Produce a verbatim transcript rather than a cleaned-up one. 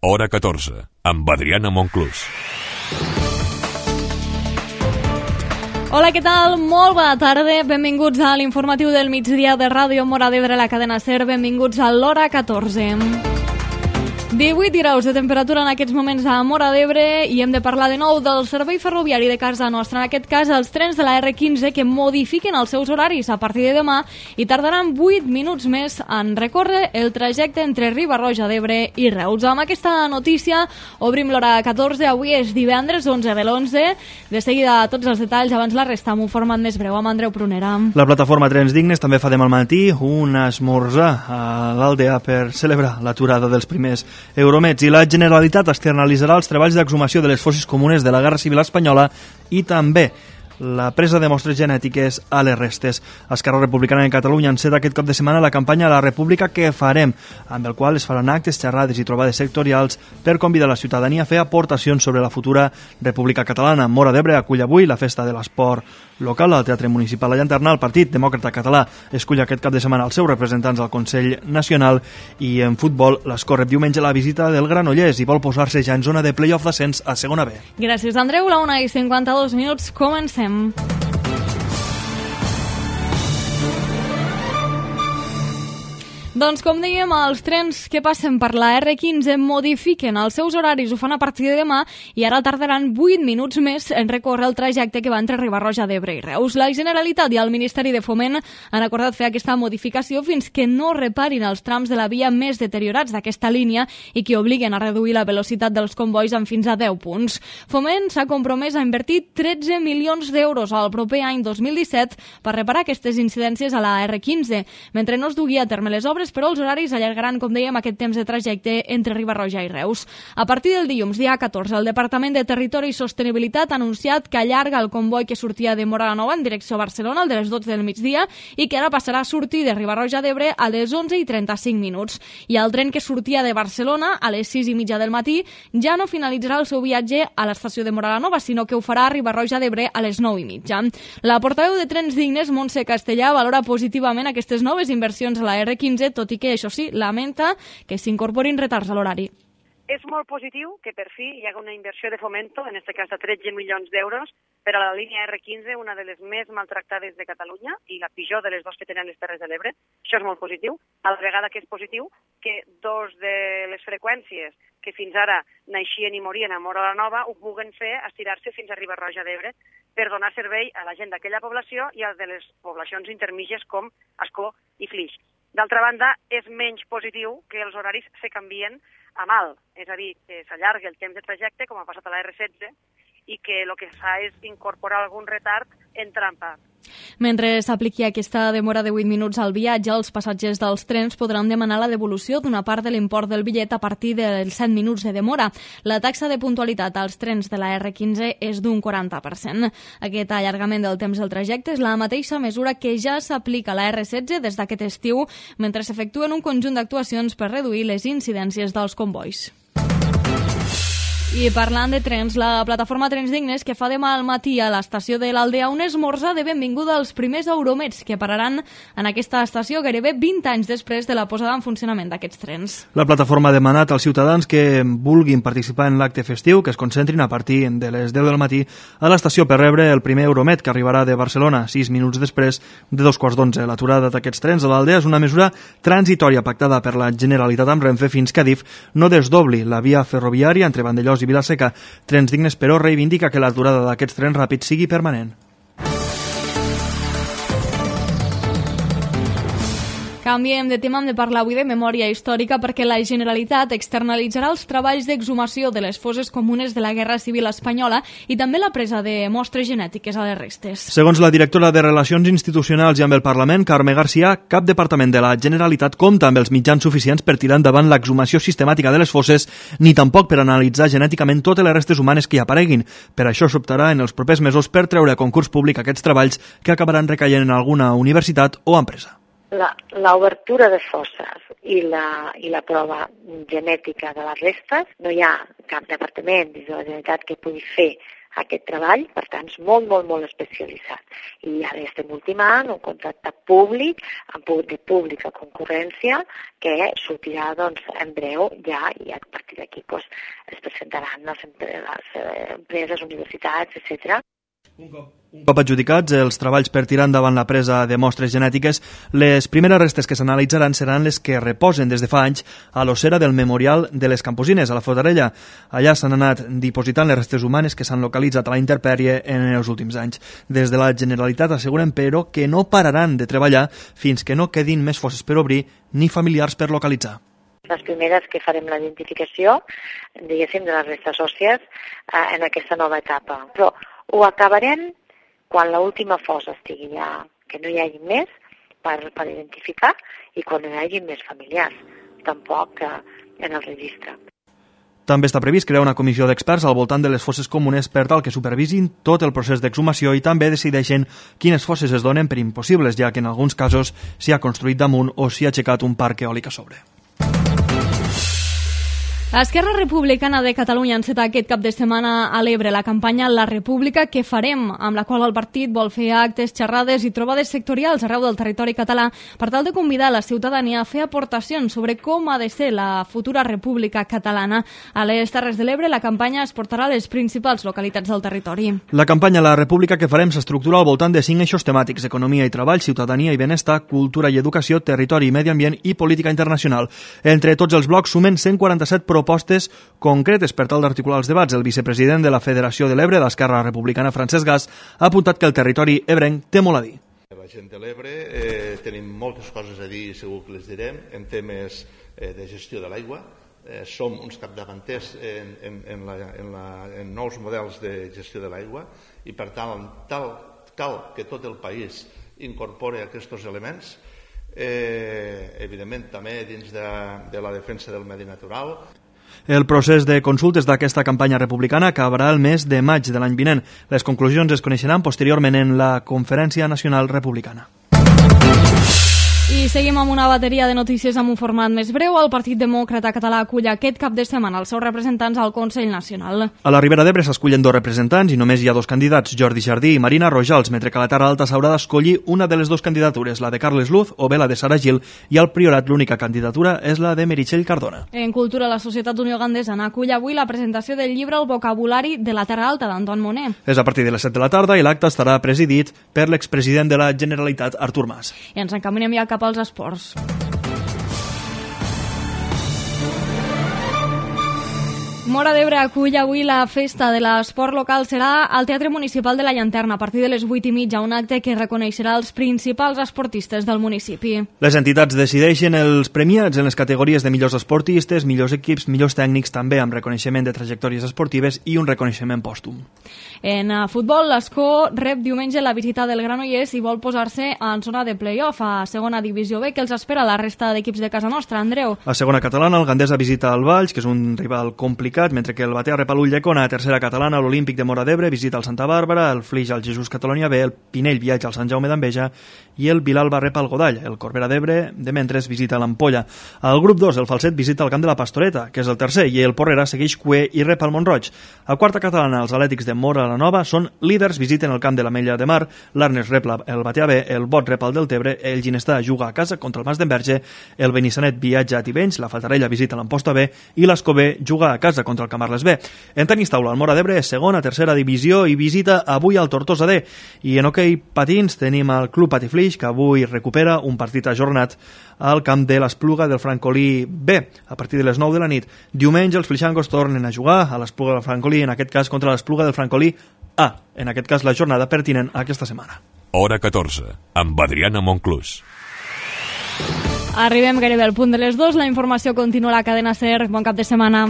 Hora catorze, amb Adriana Monclús. Hola, què tal? Molt bona tarda. Benvinguts a l'informatiu del migdia de Ràdio Móra d'Ebre, la cadena SER. Benvinguts a l'Hora catorze. divuit graus de temperatura en aquests moments a Móra d'Ebre i hem de parlar de nou del servei ferroviari de casa nostra. En aquest cas, els trens de la erre quinze que modifiquen els seus horaris a partir de demà i tardaran vuit minuts més en recórrer el trajecte entre Riba-roja d'Ebre i Reus. Amb aquesta notícia obrim l'Hora catorze. Avui és divendres onze de l'onze. De seguida tots els detalls, abans la resta amb un format més breu amb Andreu Prunera. La plataforma Trens Dignes també fa demà al matí un esmorzar a l'Aldea per celebrar l'aturada dels primers Euromets, i la Generalitat externalitzarà els treballs d'exhumació de les fosses comunes de la Guerra Civil Espanyola i també la presa de mostres genètiques a les restes. Esquerra Republicana de Catalunya enceta aquest cap de setmana la campanya La República que farem, amb el qual es faran actes, xerrades i trobades sectorials per convidar la ciutadania a fer aportacions sobre la futura República Catalana. Móra d'Ebre acull avui la festa de l'esport local al Teatre Municipal de Llanterna. El Partit Demòcrata Català escull aquest cap de setmana els seus representants al Consell Nacional, i en futbol l'Escó rep diumenge la visita del Granollers i vol posar-se ja en zona de play-off d'ascens a segona B. Gràcies, Andreu. La una i cinquanta-dos minuts. Comencem. Doncs com dèiem, els trens que passen per la erre quinze modifiquen els seus horaris, ho fan a partir de demà i ara tardaran vuit minuts més en recórrer el trajecte que va entre Riba-roja d'Ebre i Reus. La Generalitat i el Ministeri de Foment han acordat fer aquesta modificació fins que no reparin els trams de la via més deteriorats d'aquesta línia i que obliguen a reduir la velocitat dels convois en fins a deu punts. Foment s'ha compromès a invertir tretze milions d'euros al proper any dos mil disset per reparar aquestes incidències a la erre quinze. Mentre no es dugui a terme les obres, però els horaris allargaran, com dèiem, aquest temps de trajecte entre Riba-roja i Reus. A partir del dilluns, dia catorze, el Departament de Territori i Sostenibilitat ha anunciat que allarga el comboi que sortia de Móra la Nova en direcció a Barcelona, el de les dotze del migdia, i que ara passarà a sortir de Riba-roja d'Ebre a les onze i trenta-cinc minuts. I el tren que sortia de Barcelona a les sis i mitja del matí ja no finalitzarà el seu viatge a l'estació de Móra la Nova, sinó que ho farà a Riba-roja d'Ebre a les nou i mitja. La portaveu de Trens Dignes, Montse Castellà, valora positivament aquestes noves inversions a la erre quinze, tot i que, això sí, lamenta que s'incorporin retards a l'horari. És molt positiu que per fi hi hagi una inversió de Fomento, en aquest cas de tretze milions d'euros, per a la línia erre quinze, una de les més maltractades de Catalunya i la pitjor de les dues que tenen les Terres de l'Ebre. Això és molt positiu. A la vegada que és positiu que dos de les freqüències que fins ara naixien i morien a Móra la Nova ho puguen fer estirar-se fins a Riba-roja d'Ebre per donar servei a la gent d'aquella població i a de les poblacions intermitges com Ascó i Flix. D'altra banda, és menys positiu que els horaris se canvien a mal, és a dir, que s'allargui el temps de trajecte, com ha passat a la erre setze, i que el que fa és incorporar algun retard en trampa. Mentre s'apliqui aquesta demora de vuit minuts al viatge, els passatgers dels trens podran demanar la devolució d'una part de l'import del bitllet a partir dels set minuts de demora. La taxa de puntualitat als trens de la erre quinze és d'un quaranta per cent. Aquest allargament del temps del trajecte és la mateixa mesura que ja s'aplica a la erre setze des d'aquest estiu, mentre s'efectuen un conjunt d'actuacions per reduir les incidències dels convois. I parlant de trens, la plataforma Trens Dignes que fa demà al matí a l'estació de l'Aldea un esmorzar de benvinguda als primers Euromets que pararan en aquesta estació gairebé vint anys després de la posada en funcionament d'aquests trens. La plataforma ha demanat als ciutadans que vulguin participar en l'acte festiu que es concentrin a partir de les deu del matí a l'estació per rebre el primer Euromet que arribarà de Barcelona sis minuts després de dos quarts d'onze. L'aturada d'aquests trens a l'Aldea és una mesura transitòria pactada per la Generalitat amb Renfe fins que Adif no desdobli la via ferroviària entre Vandellòs i Vila-seca. Trens Dignes, però, reivindica que l'aturada d'aquests trens ràpids sigui permanent. Canviem de tema, hem de parlar avui de memòria històrica perquè la Generalitat externalitzarà els treballs d'exhumació de les fosses comunes de la Guerra Civil Espanyola i també la presa de mostres genètiques a les restes. Segons la directora de Relacions Institucionals i amb el Parlament, Carme Garcia, cap departament de la Generalitat compta amb els mitjans suficients per tirar endavant l'exhumació sistemàtica de les fosses ni tampoc per analitzar genèticament totes les restes humanes que hi apareguin. Per això s'optarà en els propers mesos per treure a concurs públic aquests treballs que acabaran recaient en alguna universitat o empresa. La, la obertura de fosses i la, i la prova genètica de les restes, no hi ha cap departament dins de la Generalitat que pugui fer aquest treball, per tant, és molt, molt, molt especialitzat. I ara estem ultimant un contracte públic, amb de pública concurrència, que sortirà doncs, en breu ja, i a partir d'aquí doncs, es presentaran les, les empreses, universitats, etcètera. Un cop, un cop adjudicats els treballs per tirar endavant la presa de mostres genètiques, les primeres restes que s'analitzaran seran les que reposen des de fa anys a l'ossera del Memorial de les Camposines, a la Fotarella. Allà s'han anat dipositant les restes humanes que s'han localitzat a la intempèrie en els últims anys. Des de la Generalitat asseguren, però, que no pararan de treballar fins que no quedin més fosses per obrir ni familiars per localitzar. Les primeres que farem la identificació, diguéssim, de les restes òssies eh, en aquesta nova etapa. Però ho acabarem quan l'última fossa estigui ja, que no hi hagi més per, per identificar i quan no hi hagi més familiars, tampoc eh, en el registre. També està previst crear una comissió d'experts al voltant de les fosses comunes per tal que supervisin tot el procés d'exhumació i també decideixen quines fosses es donen per impossibles, ja que en alguns casos s'hi ha construït damunt o s'hi ha aixecat un parc eòlic a sobre. Esquerra Republicana de Catalunya enceta aquest cap de setmana a l'Ebre la campanya La República que farem, amb la qual el partit vol fer actes, xerrades i trobades sectorials arreu del territori català per tal de convidar la ciutadania a fer aportacions sobre com ha de ser la futura república catalana. A les Terres de l'Ebre la campanya es portarà a les principals localitats del territori. La campanya La República que farem s'estructura al voltant de cinc eixos temàtics: economia i treball, ciutadania i benestar, cultura i educació, territori i medi ambient i política internacional. Entre tots els blocs sumen cent quaranta-set propostes concretes per tal d'articular els debats. El vicepresident de la Federació de l'Ebre, d'Esquerra Republicana, Francesc Gas, ha apuntat que el territori ebrenc té molt a dir. La gent de l'Ebre eh, tenim moltes coses a dir i segur que les direm en temes eh, de gestió de l'aigua. Eh, som uns capdavanters en, en, en, la, en, la, en nous models de gestió de l'aigua i per tant tal, cal que tot el país incorpori aquests elements. Eh, evidentment també dins de, de la defensa del medi natural. El procés de consultes d'aquesta campanya republicana acabarà el mes de maig de l'any vinent. Les conclusions es coneixeran posteriorment en la Conferència Nacional Republicana. I seguim amb una bateria de notícies amb un format més breu. El Partit Demòcrata Català acull aquest cap de setmana els seus representants al Consell Nacional. A la Ribera d'Ebre s'escullen dos representants i només hi ha dos candidats, Jordi Jardí i Marina Rojals, mentre que a la Terra Alta s'haurà d'escollir una de les dues candidatures, la de Carles Luz o bé la de Sara Gil, i al Priorat l'única candidatura és la de Meritxell Cardona. En cultura, la Societat d'Unió Gandesa acull avui la presentació del llibre El vocabulari de la Terra Alta d'Anton Moner. És a partir de les set de la tarda i l'acte estarà presidit per l'expresident de la Generalitat, Artur Mas. I ens encaminem ja cap als esports. Móra d'Ebre acull avui la festa de l'esport local. Serà al Teatre Municipal de la Llanterna a partir de les vuit i mitja, un acte que reconeixerà els principals esportistes del municipi. Les entitats decideixen els premiats en les categories de millors esportistes, millors equips, millors tècnics, també amb reconeixement de trajectòries esportives i un reconeixement pòstum. En futbol, l'Escó rep diumenge la visita del Granollers i vol posar-se en zona de play-off a segona divisió B, que els espera la resta d'equips de casa nostra. Andreu. A segona catalana, el Gandesa visita el Valls, que és un rival complicat, mentre que el Batea rep a l'Ulldecona. A tercera catalana, l'Olímpic de Móra d'Ebre visita el Santa Bàrbara, el Flix al Jesús Catalonia B, el Pinell viatja al Sant Jaume d'Enveja i el Vilalba rep al Godall. El Corbera d'Ebre, de mentres, visita l'Ampolla. Al grup dos, el Falset visita el camp de la Pastoreta, que és el tercer, i el Porrera segueix cuer i rep al Montroig. A quarta catalana, els Atlètics de Móra la Nova són líders, visiten el camp de l'Ametlla de Mar, l'Arnes rep el Batea B, el Bot rep el Deltebre, el Ginestà juga a casa contra el Mas d'Enverge, el Benissanet viatja a Tivenys, la Fatarella visita l'Amposta B i l'Escobé juga a casa contra el Camarles B. En tenis taula, el Móra d'Ebre és segona, tercera divisió i visita avui al Tortosa D. I en hoquei patins tenim el Club Patiflix, que avui recupera un partit ajornat al camp de l'Espluga del Francolí B a partir de les nou de la nit. Diumenge els flixangos tornen a jugar a l'Espluga del Francolí, en aquest cas contra l'Espluga del Francolí A, en aquest cas la jornada pertinent aquesta setmana. Hora catorze, amb Adriana Monclús. Arribem gairebé al punt de les dues. La informació continua a la cadena SER. Bon cap de setmana.